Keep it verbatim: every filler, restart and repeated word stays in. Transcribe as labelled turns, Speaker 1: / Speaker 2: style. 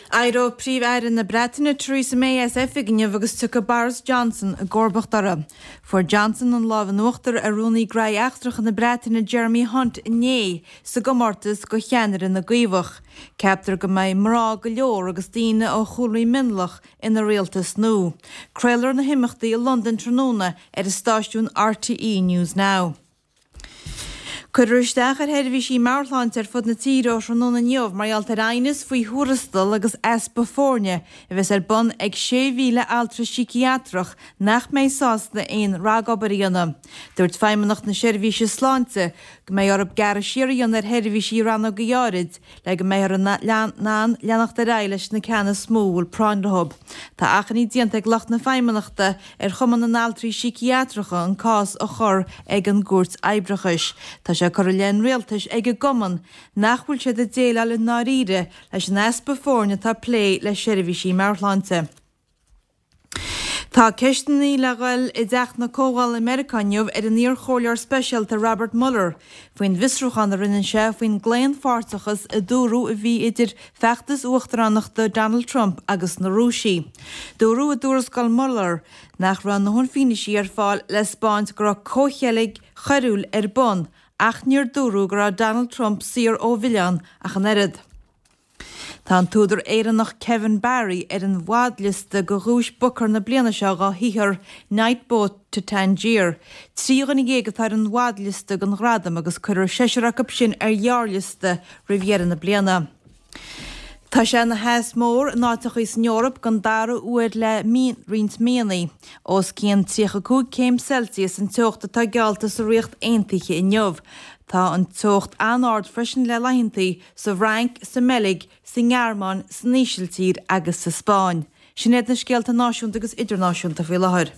Speaker 1: Éireoidh Príomh-Aire na Breataine Theresa May as oifig inniu agus tiocfaidh Boris Johnson i gcomharbacht uirthi. Fuair Johnson an lámh in uachtar ar Rúnaí Gnóthaí Eachtracha na Breataine Jeremy Hunt inné sa gcomórtas do cheannaire na gCaomhach. Ceaptar go mbeidh mná go leor agus daoine ó chúlraí mionlach ina rialtas nua. Craolfar na himeachtaí i Londain tráthnóna ar an stáisiún RTE News Now. Cuirfear isteach ar sheirbhísí meabhairshláinte ar fud na tíre ó thráthnóna inniu mar gheall ar aighneas faoi thuarastal agus easpa foirne a bheas ar bun ag sé mhíle altra síciatrach nach mbeidh sásta aon ragobair a dhéanamh. Dúirt Feidhmeannacht na Seirbhíse Sláinte go mbeidh orthu gearradh siar a dhéanamh ar sheirbhísí rannóga áirid le go mbeifear in ann leanacht ar aghaidh leis na ceanna is mó a bhfuil práinn leo. Tá achainí déanta ag lucht na Feidhmeannachta ar Chumann na nAltraí Síciatracha an cás a chur ag an gCúirt Oibreachais. Tá sé curtha i leith an rialtais ag an gcumann nach bhfuil siad ag déileáil i ndáiríre leis an easpa foirne atá ag plé le seirbhísí meabhairshláinte. Tá ceisteanna le dhul i dTeach na Comhdhála i Meiriceá inniu ar an iarchomhairleoir speisialta Robert Mueller faoin bhfiosrúchán a rinne sé faoin gclaonpháirteachas a dúradh a bhí idir feachtas uachtaránachta Donald Trump agus na Rúisigh. Dúradh i dtuarascáil Mueller nach raibh a ndóthain fianaise ar fáil le spáint go raibh comhcheilg choiriúil ar bun ach níor dúradh go raibh Donald Trump saor ó mhilleán ach an oiread. Tá an t-údar Éireannach Kevin Barry ar an bhfadliosta do Dhuais Booker na bliana seo dá shaothar Night Boat to Tangier. Trí dhuine dhéag atá ar an bhfadliosta don ghradam agus cuirfear seisear acu sin ar ghearrliosta roimh dheireadh na bliana. Tá sé ina theas mór in áiteachaí san Eoraip don dara huair le roinnt míonna. Os cionn tríocha cúig céim Celsius an teocht atá geallta sa Ríocht Aontaithe inniu. Tá an teocht an-ard freisin le laethantaí sa bhFrainc, sa mBeilg, sa nGearmáin, san Ísiltír agus sa Spáinn. Sin iad na scéalta náisiúnta agus idirnáisiúnta faoi láthair.